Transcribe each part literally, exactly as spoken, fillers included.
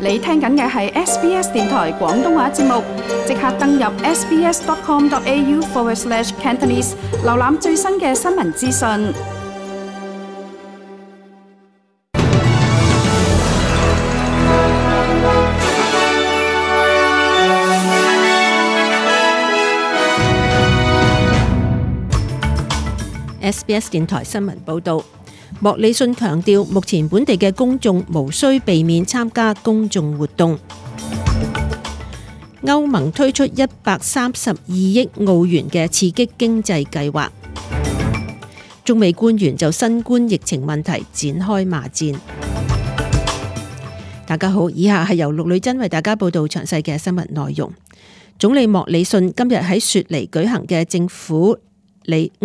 你聽緊嘅係 S B S 電台廣東話節目，即刻登入 sbs.com.au forward slash Cantonese， 瀏覽最新嘅新聞資訊。S B S 電台新聞報導，莫里遜強調，目前本地嘅公眾無需避免參加公眾活動。歐盟推出一百三十二億澳元嘅刺激經濟計劃。中美官員就新冠疫情問題展開罵戰。大家好，以下係由陸女珍為大家報道詳細嘅新聞內容。總理莫里遜今日喺雪梨舉行嘅政府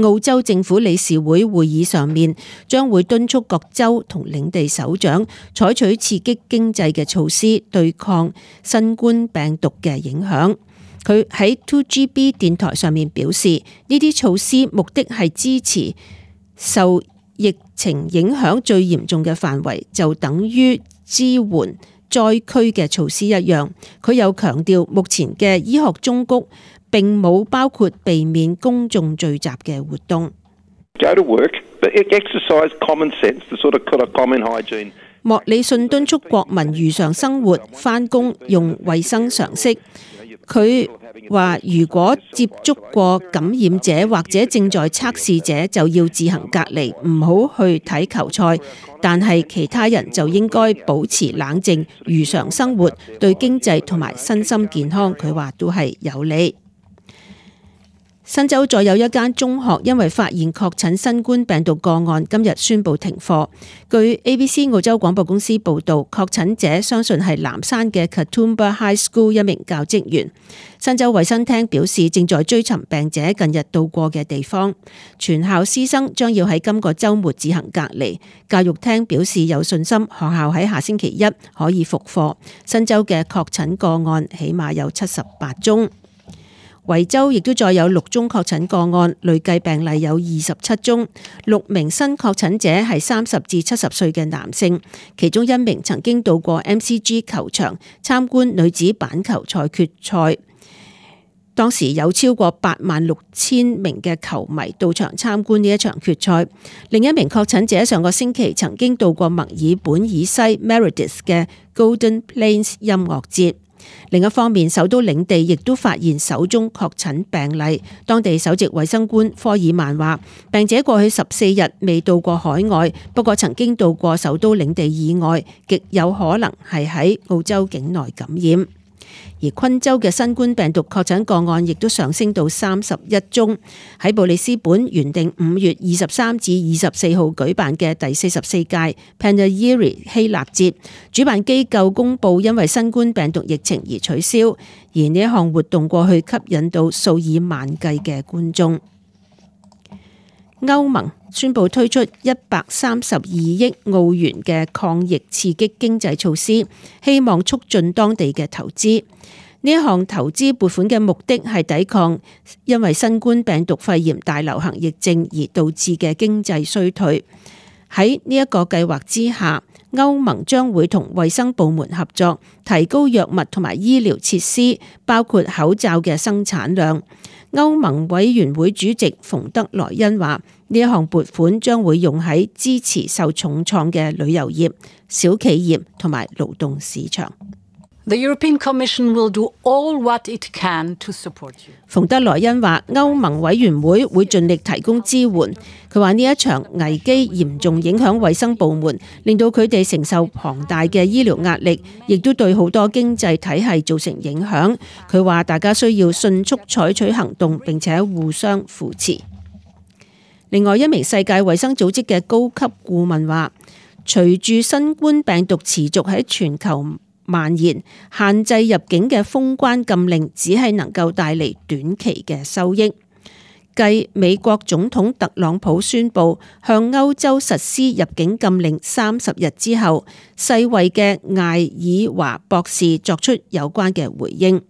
澳洲政府理事會會議上面，將會敦促各州同領地首長採取刺激經濟嘅措施，對抗新冠病毒嘅影響。佢喺 two G B 電台上面表示，呢啲措施目的係支持受疫情影響最嚴重嘅範圍，就等於支援災區嘅措施一樣。佢又強調，目前嘅醫學忠告並冇包括避免公眾聚集嘅活動。莫里遜敦促國民如常生活、返工用衛生常識。佢話：如果接觸過感染者或者正在測試者，就要自行隔離，唔好去睇球賽。但係其他人就應該保持冷靜，如常生活，對經濟同埋身心健康，佢話都係有利。新州再有一間中學因為發現確診新冠病毒個案，今日宣布停課。據 A B C 澳洲廣播公司報道，確診者相信係南山嘅 Katoomba High School 一名教職員。新州衛生廳表示，正在追尋病者近日到過嘅地方。全校師生將要喺今個週末自行隔離。教育廳表示有信心學校喺下星期一可以復課。新州嘅確診個案起碼有七十八宗。維州亦都再有六宗確診個案，累計病例有二十七宗。六名新確診者係三十至七十歲嘅男性，其中一名曾經到過 M C G 球場參觀女子板球賽決賽，當時有超過八萬六千名嘅球迷到場參觀呢一場決賽。另一名確診者上個星期曾經到過墨爾本以西 Meredith 嘅 Golden Plains 音樂節。另一方面，首都領地亦都發現首宗確診病例。當地首席衛生官科爾曼話，病者過去十四日未到過海外，不過曾經到過首都領地以外，極有可能係喺澳洲境內感染。而昆州嘅新冠病毒確診個案亦都上升到三十一宗。喺布里斯本原定五月二十三至二十四號舉辦嘅第四十四屆 Panegyri 希臘節，主辦機構公佈因為新冠病毒疫情而取消，而呢一項活動過去吸引到數以萬計嘅觀眾。歐盟宣布推出一百三十二億澳元嘅抗疫刺激經濟措施，希望促進當地嘅投資。呢一項投資撥款嘅目的係抵抗因為新冠病毒肺炎大流行疫症而導致嘅經濟衰退。喺呢一個計劃之下，歐盟將會同衛生部門合作，提高藥物同埋醫療設施，包括口罩嘅生產量。歐盟委員會主席馮德萊恩話：呢一項撥款將會用喺支持受重創嘅旅遊業、小企業同埋勞動市場。The European Commission will do all what it can to support you. 馮德萊恩話：歐盟委員會會盡力提供支援。佢話呢一場危機嚴重影響衛生部門，令到佢哋承受龐大嘅醫療壓力，亦都對好多經濟體系造成影響。佢話大家需要迅速採取行動，並且互相扶持。另外一名世界衛生組織嘅高級顧問話：隨住新冠病毒持續喺全球蔓延，限制入境嘅封關禁令只係能夠帶嚟短期嘅收益。繼美國總統特朗普宣布向歐洲實施入境禁令三十日之後，世衛嘅艾爾華博士作出有關嘅回應。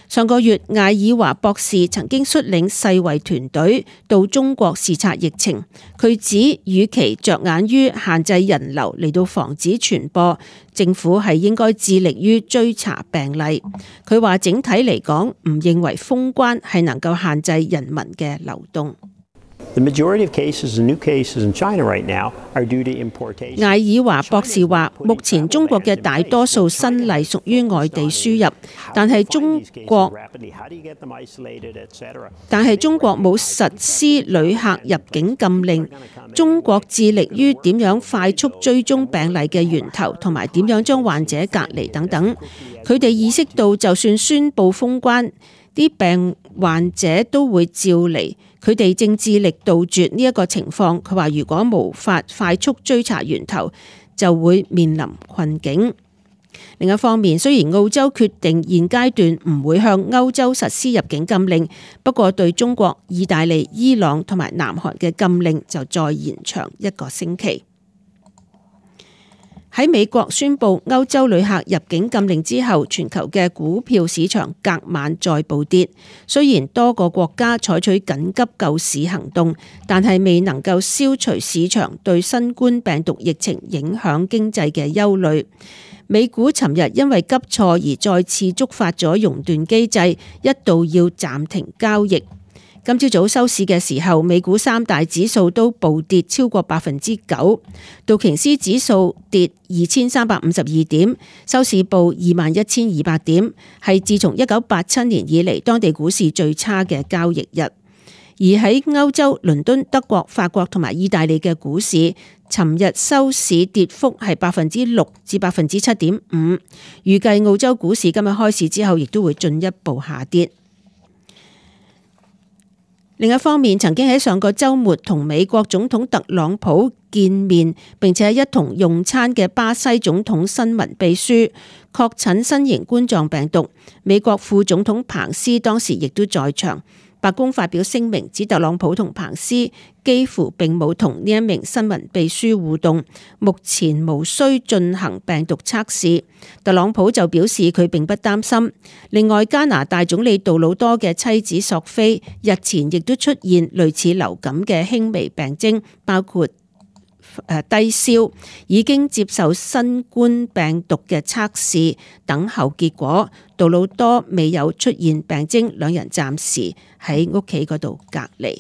上個月，艾爾華博士曾經率領世衛團隊到中國視察疫情。佢指，與其着眼於限制人流嚟到防止傳播，政府係應該致力於追查病例。佢話整體嚟講，唔認為封關係能夠限制人民嘅流動。The majority of cases and new cases in China right now are due to importation. 艾爾華博士話，目前中國嘅大多數新例屬於外地輸入，但係中國但係中國冇實施旅客入境禁令。中國致力於點樣快速追蹤病例嘅源頭，同埋點樣將患者隔離等等。佢哋意識到，就算宣布封關，啲病患者都會照嚟。佢哋正致力杜絕呢一個情況。佢話如果無法快速追查源頭，就會面臨困境。另一方面，雖然澳洲決定現階段唔會向歐洲實施入境禁令，不過對中國、意大利、伊朗同埋南韓嘅禁令就再延長一個星期。喺美國宣布歐洲旅客入境禁令之後，全球嘅股票市場隔晚再暴跌。雖然多個國家採取緊急救市行動，但係未能夠消除市場對新冠病毒疫情影響經濟嘅憂慮。美股尋日因為急挫而再次觸發咗熔斷機制，一度要暫停交易。今朝早收市嘅時候，美股三大指數都暴跌超過百分之九，道瓊斯指數跌二千三百五十二點，收市報二萬一千二百點，係自從一九八七年以嚟當地股市最差嘅交易日。而喺歐洲，倫敦、德國、法國同埋意大利嘅股市，尋日收市跌幅係百分之六至百分之七點五。預計澳洲股市今日開市之後，亦都會進一步下跌。另一方面，曾經喺上個週末同美國總統特朗普見面並且一同用餐嘅巴西總統新聞秘書確診新型冠狀病毒，美國副總統彭斯當時亦都在場。白宮發表聲明指特朗普同彭斯幾乎並冇同呢一名新聞秘書互動，目前無需進行病毒測試。特朗普就表示佢並不擔心。另外，加拿大總理杜魯多嘅妻子索菲日前亦都出現類似流感嘅輕微病徵，包括低燒，已經接受新冠病毒嘅測試，等候結果。杜魯多未有出現病徵，兩人暫時喺屋企嗰度隔離。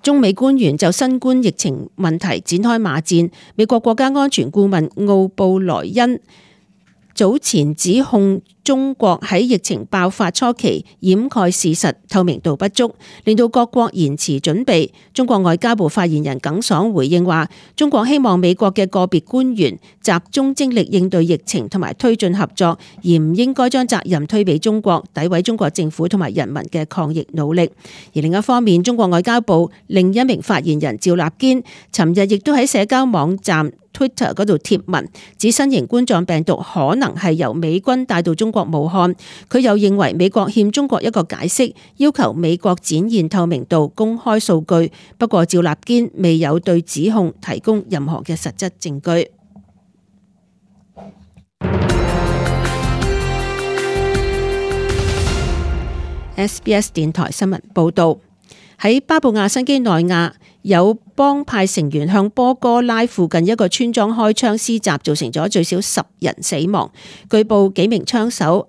中美官員就新冠疫情問題展開罵戰。美國國家安全顧問奧布萊恩早前指控中國喺疫情爆發初期掩蓋事實，透明度不足，令到各國延遲準備。中國外交部發言人耿爽回應話，中國希望美國嘅個別官員集中精力應對疫情同埋推進合作，而唔應該將責任推俾中國，詆毀中國政府同埋人民嘅抗疫努力。而另一方面，中國外交部另一名發言人趙立堅尋日亦都喺社交網站Twitter 嗰度貼文，指新型冠狀病毒可能係由美軍帶到中國武漢。佢又認為美國欠中國一個解釋，要求美國展現透明度、公開數據。不過趙立堅未有對指控提供任何嘅實質證據。S B S 電台新聞報道，喺巴布亞新畿內亞，有幫派成員向波哥拉附近一個村莊開槍施襲，造成咗最少十人死亡。據報幾名槍手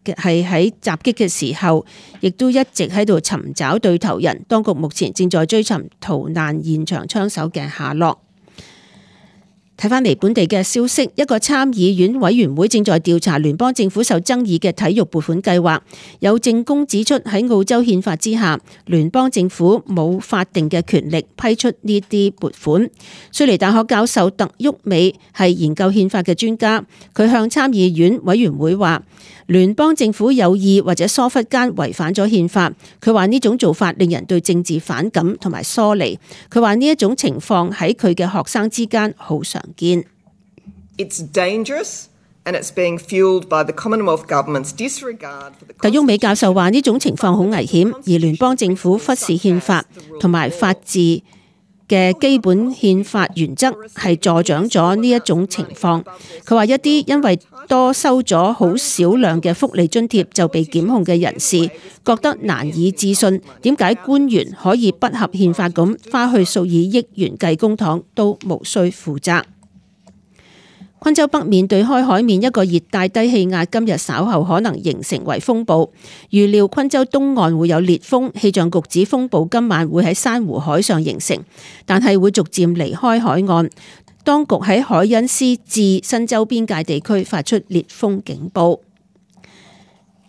係喺襲擊嘅時候，亦都一直喺度尋找對頭人。當局目前正在追尋逃難現場槍手嘅下落。睇返嚟本地嘅消息，一個參議院委員會正在調查聯邦政府受爭議嘅體育撥款計劃。有證供指出，喺澳洲憲法之下，聯邦政府冇法定嘅權力批出呢啲撥款。雪梨大學教授特沃美係研究憲法嘅專家，佢向參議院委員會話，聯邦政府有意或者疏忽間違反咗憲法。佢話呢種做法令人對政治反感同埋疏離。佢話呢一種情況喺佢嘅學生之間好常見。It's dangerous and it's being fueled by the Commonwealth government's disregard for the。特沃美教授話呢種情況好危險，而聯邦政府忽視憲法同埋法治嘅基本憲法原則係助長咗呢一種情況。佢話一啲因為多收咗好少量嘅福利津貼就被檢控嘅人士，覺得難以置信，點解官員可以不合憲法咁花去數以億元計公帑都無需負責。昆州北面對開海面一個熱帶低氣壓今日稍後可能形成為風暴，預料昆州東岸會有烈風，氣象局指風暴今晚會喺珊瑚海上形成，但係會逐漸離開海岸。當局喺海恩斯至新州邊界地區發出烈風警報。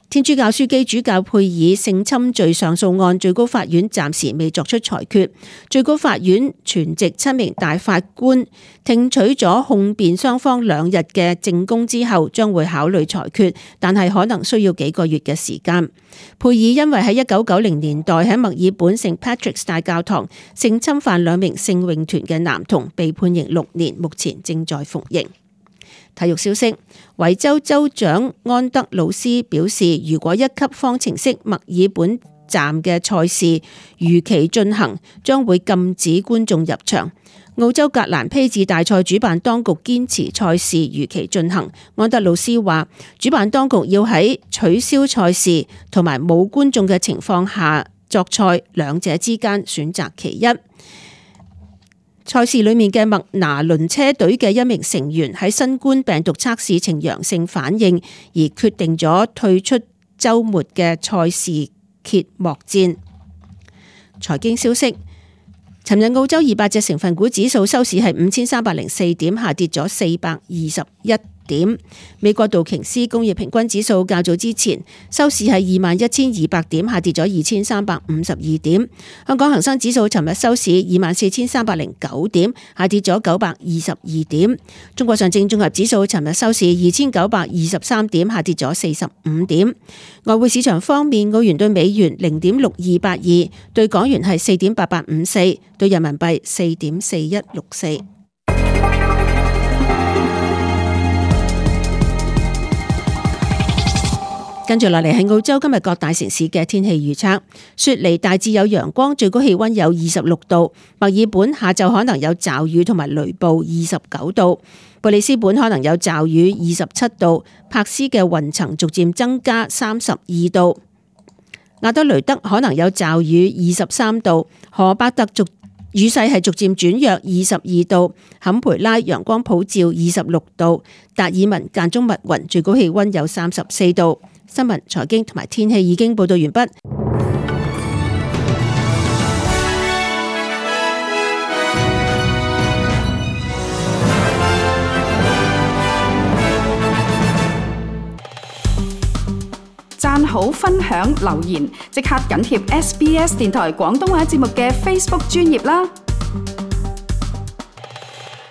天主教樞機主教佩爾性侵罪上訴案，最高法院暫時未作出裁決。最高法院全席七名大法官聽取咗控辯雙方兩日嘅證供之後，將會考慮裁決，但係可能需要幾個月嘅時間。佩爾因為喺一九九零年代喺墨爾本聖 Patrick's 大教堂性侵犯兩名聖詠團嘅男童，被判刑六年，目前正在服刑。體育消息，維州州長安德魯斯表示，如果一級方程式墨爾本站嘅賽事如期進行，將會禁止觀眾入場。澳洲格蘭披治大賽主辦當局堅持賽事如期進行。安德魯斯話，主辦當局要喺取消賽事同埋冇觀眾嘅情況下作賽，兩者之間選擇其一。賽事裏面嘅麥拿倫車隊嘅一名成員喺新冠病毒測試呈陽性反應，而決定咗退出週末嘅賽事揭幕戰。財經消息，尋日澳洲二百隻成分股指數收市係五千三百零四點，下跌咗四百二十一點。美國道瓊斯工業平均指數較早之前收市係二萬一千二百點，下跌咗二千三百五十二點。香港恒生指數尋日收市二萬四千三百零九點，下跌咗九百二十二點。中國上證綜合指數尋日收市二千九百二十三點，下跌咗四十五點。外匯市場方面，澳元對美元零點六二八二，對港元係四點八八五四，對人民幣四點四一六四。跟住落嚟係澳洲今日各大城市嘅天氣預測。雪梨大致有陽光，最高氣溫有二十六度。墨爾本下晝可能有驟雨同埋雷暴，二十九度。布里斯本可能有驟雨，二十七度。柏斯嘅雲層逐漸增加，三十二度。亞德雷德可能有驟雨，二十三度。荷巴特逐雨勢係逐漸轉弱，二十二度。坎培拉陽光普照，二十六度。達爾文間中密雲，最高氣溫有三十四度。新聞、財經同埋天氣已經報道完畢。讚好、分享、留言，即刻緊貼 S B S 電台廣東話節目嘅 Facebook 專頁啦！